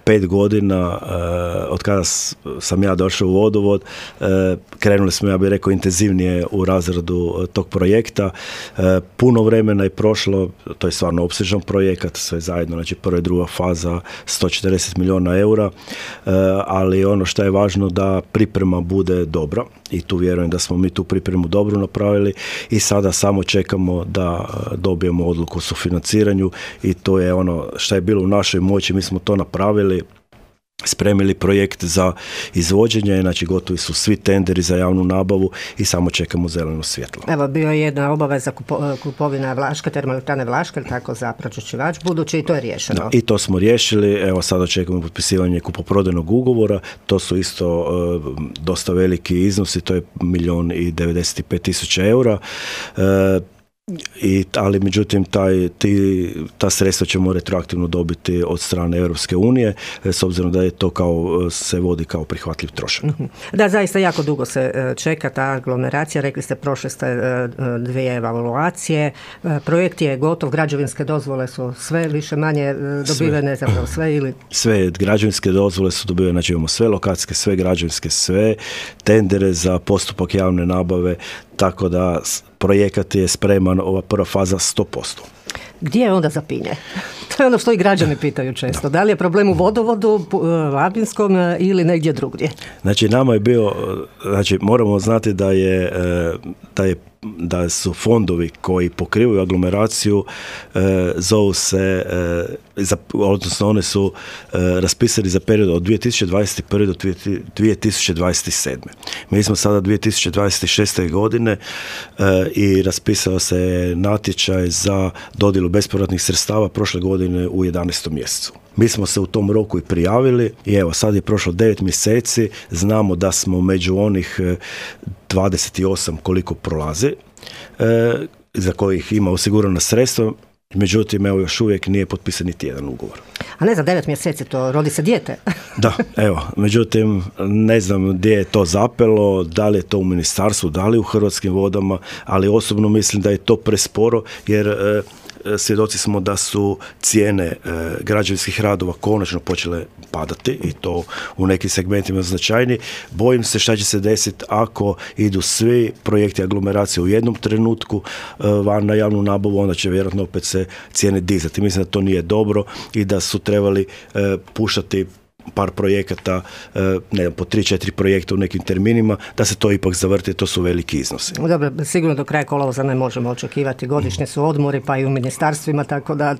5 godina od kada sam ja došao u vodovod, krenuli smo, ja bih rekao, intenzivnije u razradu tog projekta. Puno vremena je prošlo, to je stvarno opsežan projekat, sve zajedno, znači prva i druga faza 140 milijuna eura, ali ono što je važno da priprema bude dobra i tu vjerujem da smo mi tu pripremu dobro napravili i sada samo čekamo da dobijemo odluku o sufinanciranju i to je ono što je bilo u našoj moći, mi smo to napravili, spremili projekt za izvođenje, znači gotovi su svi tenderi za javnu nabavu i samo čekamo zeleno svjetlo. Evo, bio je jedna obaveza kupovina Vlaške, termoelektrane Vlaške, tako za pročišćivač budući i to je riješeno. Da, i to smo riješili, evo sada čekamo potpisivanje kupoprodajnog ugovora, to su isto dosta veliki iznosi, to je 1.095.000 eura. Ali međutim ta sredstva ćemo retroaktivno dobiti od strane Europske unije s obzirom da je to se vodi kao prihvatljiv trošak. Da, zaista jako dugo se čeka ta aglomeracija, rekli ste prošle ste 2 evaluacije, projekt je gotov, građevinske dozvole su sve više manje dobivene, zapravo sve ili? Sve građevinske dozvole su dobivene, znači imamo sve lokacijske, sve građevinske, sve tendere za postupak javne nabave, tako da projekat je spreman, ova prva faza 100%. Gdje je onda zapinje? To je ono što i građani pitaju često. Da li je problem u vodovodu, Labinskom ili negdje drugdje? Znači, nama je bio, moramo znati da su fondovi koji pokrivaju aglomeraciju zovu se, odnosno one su raspisani za period od 2021. do 2027. Mi smo sada 2026. godine i raspisao se natječaj za dodjelu bespovratnih sredstava prošle godine u 11. mjesecu. Mi smo se u tom roku i prijavili i evo sad je prošlo 9 mjeseci, znamo da smo među onih 28 koliko prolazi, za kojih ima osigurana sredstva, međutim evo još uvijek nije potpisan niti jedan ugovor. A ne za 9 mjeseci, to rodi se dijete. Da, evo, međutim ne znam gdje je to zapelo, da li je to u ministarstvu, da li u Hrvatskim vodama, ali osobno mislim da je to presporo jer svjedoci smo da su cijene građevinskih radova konačno počele padati i to u nekim segmentima značajni. Bojim se šta će se desiti ako idu svi projekti aglomeracije u jednom trenutku van na javnu nabavu, onda će vjerojatno opet se cijene dizati. Mislim da to nije dobro i da su trebali puštati par projekata, ne znam, po 3-4 projekta u nekim terminima, da se to ipak zavrti, to su veliki iznosi. Dobro, sigurno do kraja kolovoza ne možemo očekivati, godišnje su odmori, pa i u ministarstvima, tako da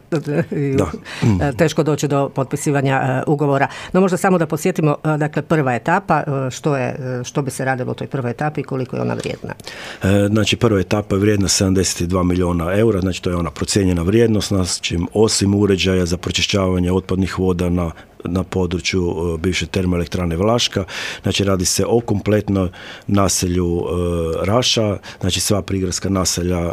teško doći do potpisivanja ugovora. No možda samo da podsjetimo, dakle, prva etapa, što bi se radilo u toj prvoj etapi i koliko je ona vrijedna? Znači, prva etapa je vrijedna 72 milijuna eura, znači to je ona procijenjena vrijednost, znači osim uređaja za pročišćavanje otpadnih voda na području bivše termoelektrane Vlaška. Znači radi se o kompletnom naselju Raša, znači sva prigradska naselja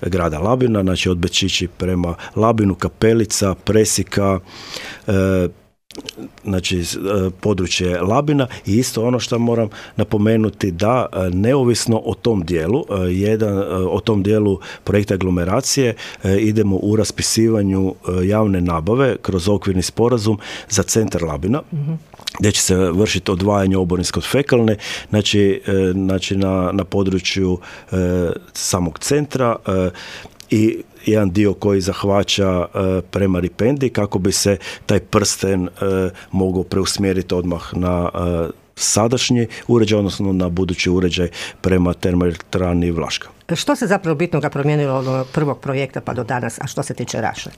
grada Labina, znači od Bečići prema Labinu, Kapelica, Presika, znači područje Labina i isto ono što moram napomenuti da neovisno o tom dijelu, o tom dijelu projekta aglomeracije idemo u raspisivanju javne nabave kroz okvirni sporazum za centar Labina, gdje će se vršiti odvajanje oborinske od fekalne, znači na području samog centra i jedan dio koji zahvaća prema Ripendi kako bi se taj prsten mogao preusmjeriti odmah na sadašnji uređaj, odnosno na budući uređaj prema termoelektrani Vlaška. Što se zapravo bitnoga promijenilo od prvog projekta pa do danas, a što se tiče Raše?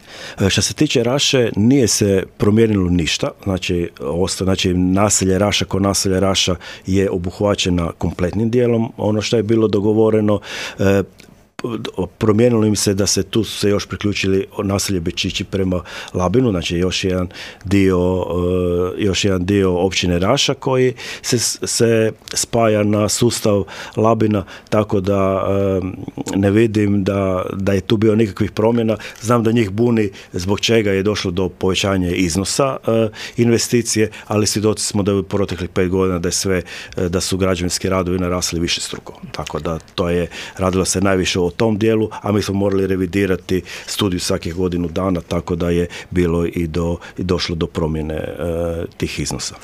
Što se tiče Raše, nije se promijenilo ništa. Znači naselje Raša kao naselje Raša je obuhvaćena kompletnim dijelom. Ono što je bilo dogovoreno, promijenilo im se da se tu se još priključili naselje Bečići prema Labinu, znači još jedan dio općine Raša koji se spaja na sustav Labina, tako da ne vidim da je tu bio nikakvih promjena. Znam da njih buni zbog čega je došlo do povećanja iznosa investicije, ali svjedoci smo da je u proteklih 5 godina da su građevinski radovi narasli višestruko. Tako da to je radilo se najviše o tom dijelu, a mi smo morali revidirati studiju svakih godinu dana, tako da je bilo i došlo do promjene tih iznosa.